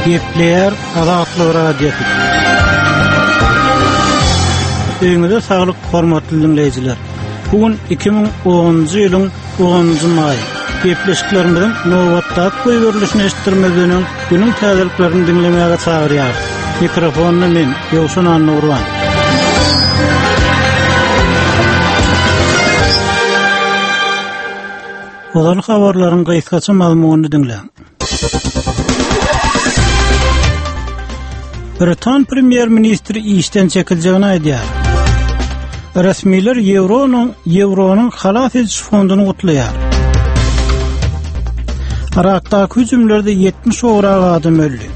Gepleýär Azatlyk Radiosy. Öýüňize saglyk, hormatly diňleýjiler. Bu gün 2010-njy ýylyň 10-njy maýy. Gepleşiklerimiziň nobatdaky goýberilişini eşitdirmezden öň, günüň täzeliklerini diňlemäge çagyrýarys. Mikrofonda men, Ýowşan Annagurban. Ozal habarlaryň gysgaça mazmunyny diňläň. Britan premýer-ministri işden çekiljegini aýdýar. Resmiler ýewronyň ýewronyň halas ediş fonduny gutlaýar. Yrakdaky hüjümlerde 70 gowrak adam öldi.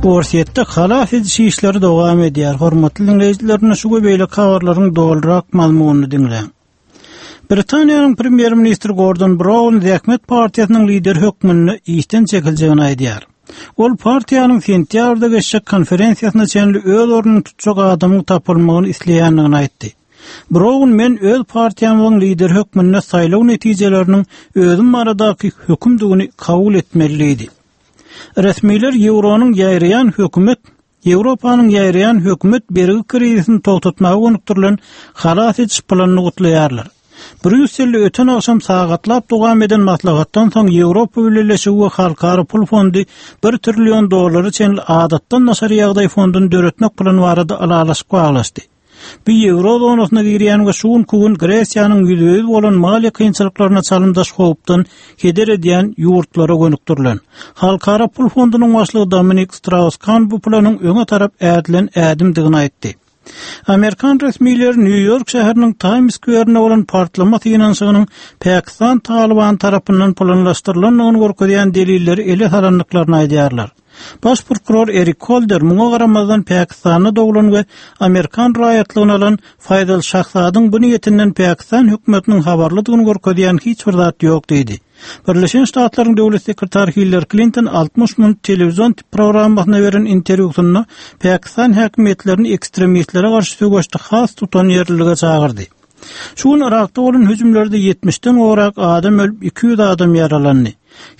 Orsýetde halas ediş işleri dowam edýär. Hormatly diňleýjiler, şu we beýleki habarlaryň dolurak mazmunyny diňläň. Britaniýanyň premýer-ministri Gordon Brown Zähmet partiýasynyň lideri hökmünde işden çekiljegini aýdýar. Ol partiýanyň sentýabrda geçjek konferensiýasyna çenli öz ornuny tutjak adamyň tapylmagyny isleýändigini aýtdy. Brown men öz partiýamyzyň lideri hökmünde saýlaw netijeleriniň özüm baradaky hökümdigini kabul etmeli diýdi. Resmiler ýewronyň ýaýraýan hökümet Ýewropanyň ýaýraýan hökümet bergi krizisini togtatmaga gönükdirilen halas ediş planyny gutlaýarlar. Brýusselde öten agşam sagatlap dowam eden maslahatdan soň Ýewropa Bileleşigi we Halkara pul fondy bir trillion dollara çenli adatdan daşary ýagdaý fonduny döretmek plany barada ylalaşyk baglaşdy. Bu ýewro zonasyna girýän we şu günki gün Gresiýanyň ýüzbe-ýüz bolan maliýe kynçylyklaryna çalymdaş howpdan heder edýän ýurtlara gönükdirilen. Halkara pul fondunyň başlygy Dominik Straus-Kan bu planyň öňe tarap ädilen ädimdigini aýtdy. Amerikan resmileri Nýu-Ýork şäheriniň Taýms skwerinde bolan partlama synanyşygynyň Pakistan Talybany tarapyndan planlaşdyrylandygyny görkezýän delilleri ele salandyklaryny aýdýarlar. Baş prokuror Erik Holder muňa garamazdan Pakistanda doglan we amerikan raýatlygyny alan Faýzal Şahzadyň bu niýetinden Pakistan hökümetiniň habarlydygyny görkezýän hiç bir zat ýok diýdi. Birleşen Ştatlaryň döwlet sekretary Hillari Klinton 60 minut telewizion programmasyna beren interwýusynda Pakistan häkimiýetlerini ekstremistlere garşy söweşde has tutanýerlilige çagyrdy. Şu gün Yrakda bolan hüjümlerde ýetmişden gowrak adam ölüp, 200 adam ýaralandy.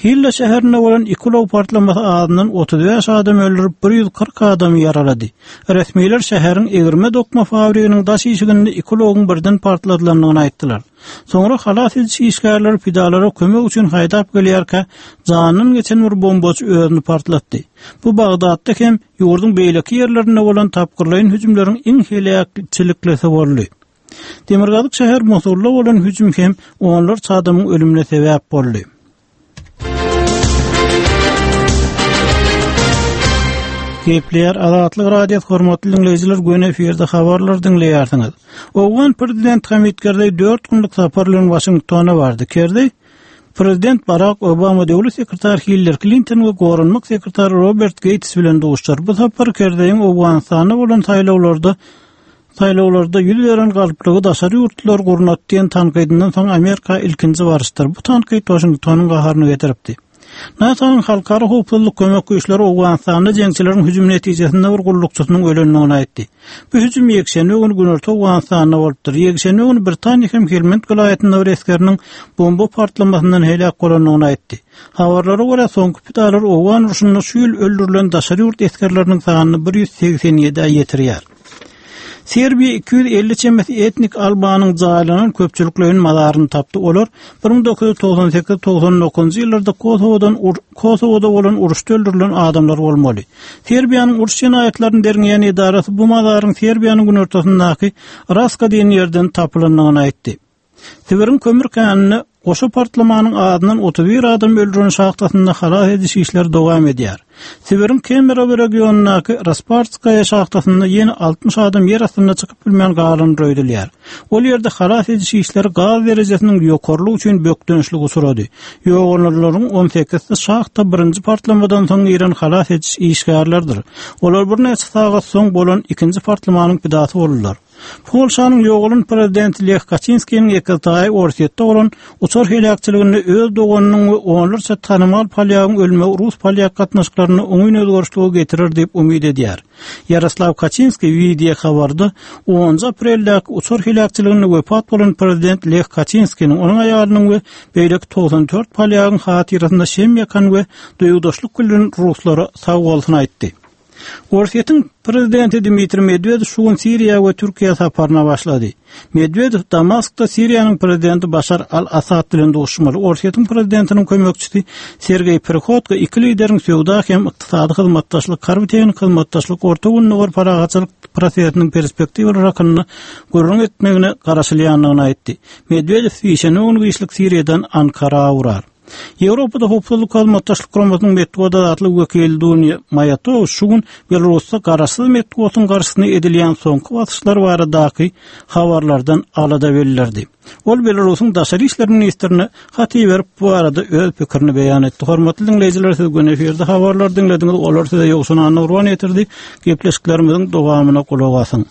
Hilla şäherinde bolan iki ulag partlamasy azyndan 35 adamy öldürip, 140 adamy ýaralady. Resmiler şäheriň egirme-dokma fabriginiň daş işiginde iki ulagyň birden partladylandygyny aýtdylar. Soňra halas ediş işgärleri pidalara kömek üçin haýdap gelýärkä, janyndan geçen bir bombaçy özüni partlatdy. Bu Bagdatda hem ýurduň beýleki ýerlerinde bolan tapgyrlaýyn hüjümleriň iň heläkçiliklisi boldy. Demirgazyk şäher Mosulda bolan hüjüm hem onlarça adamyň ölümine sebäp boldy. Gepleýär Azatlyk Radiosy hormatly diňleýjiler göni efirde habarlar diňleýärsiňiz. Owgan prezident Hamid Kerzeý 4 günlük sapar bilen Waşingtona bardy. Kerzeý Prezident Barak Obama döwlet sekretary Hillari Klinton we goranmak sekretary Robert Geýts bilen duşuşar. Bu sapar Kerzeýiň Owganystanda bolan saýlawlarda saýlawlarda ýüz beren galplygy daşary ýurtlular gurnady diýen tankydyndan soň Amerika ilkinji baryşdyr. Bu tankyt Waşingtonyň gaharyny getiripdi. NATO-nyň Halkara howpsuzlyk kömek güýçleri Owganystanda jeňçileriň hüjümi netijesinde bir gullukçysynyň ölendigini aýtdy. Bu hüjüm ýekşenbe güni Günorta Owganystanda bolupdyr. Ýekşenbe güni Britaniýa hem Helmand welaýatynda bir esgeriniň bomba partlamasyndan heläk bolandygyny aýtdy. Habarlara görä, soňky pidalar owgan urşunda şu ýyl öldürilen daşary ýurt esgerleriniň sanyny 187-ä ýetirýär. Serbiýa 250 çemesi etnik albanyň jaýlanan köpçülikleýin mazaryny tapdy. Olar 1998-99 ýyllarda Kosowodan Kosowada bolan uruşda öldürilen adamlar bolmaly. Serbiýanyň uruş jenaýatlaryny derňeýän edarasy bu mazaryň Serbiýanyň günortasyndaky Raska diýen ýerden tapylandygyny aýtdy. Sibiriň kömür käninde goşa partlamanyň azyndan 31 adam öldüren şahtasynda halas ediş işleri dowam edýär. Sibiriň Kemerowo regionyndaky Raspartskaýa şahtasynda ýene 60 adam ýer astynda çykyp bilmän galandyr öýdülýär. Ol ýerde halas ediş işleri gaz derejesiniň ýokarylygy üçin bökdençlige uçrady. Ýogalanlaryň on sekizisi şahta birinji partlamadan soň giren halas ediş işgärleridir. Olar birnäçe sagat soň bolan ikinji partlamanyň pidasy boldular. Polşanyň ýogalan prezidenti Leh Kaçinskiniň ekiztaýy Orsýetde bolan uçar heläkçiliginde öz doganynyň we onlarça tanymal polýagyň ölmegi rus-polýak gatnaşyklarynda oňyn özgerişlige getirer diýip umyt edýär. Ýaroslaw Kaçinskiý wideo habarda onunjy apreldäki uçar heläkçiliginde wepat bolan prezident Leh Kaçinskiniň, onuň aýalynyň we beýleki 94 polýagyň hatyrasynda şem ýakan we duýgudaşlyk bildiren ruslara sag bolsun aýtdy. Orsýetiň prezidenti Dmitriý Medwedew şu gün Siriýa we Türkiýä saparyna başlady. Medwedew Damaskda Siriýanyň prezidenti Başar al-Assad bilen duşuşmaly. Orsýetiň prezidentiniň kömekçisi Sergeý Prihodko iki lideriň söwda hem ykdysady hyzmatdaşlyk, harby-tehniki hyzmatdaşlyk, Orta Gündogar parahatçylyk prosesiniň perspektiwalary hakynda gürrüň etmegine garaşylýandygyny aýtdy. Medwedew sişenbe güni giçlik Siriýadan Ankara ugrar. Ýewropada Howpsuzlyk Hyzmatdaşlyk Guramasynyň metbugat azatlygy wekili Dunýa Maýatow şu gün Belarusda garaşsyz metbugatyň garşysyna edilýän soňky basyşlar baradaky habarlardan alada bildirdi. Ol Belarusyň daşary işler ministrine hat iberip, bu barada öz pikirini beýan etdi. Hormatly diňleýjiler, siz gün efirde habarlary diňlediňiz, olar size Ýowşan Annagurban ýetirdi. Gepleşiklerimiziň dowamyna gulak asyň.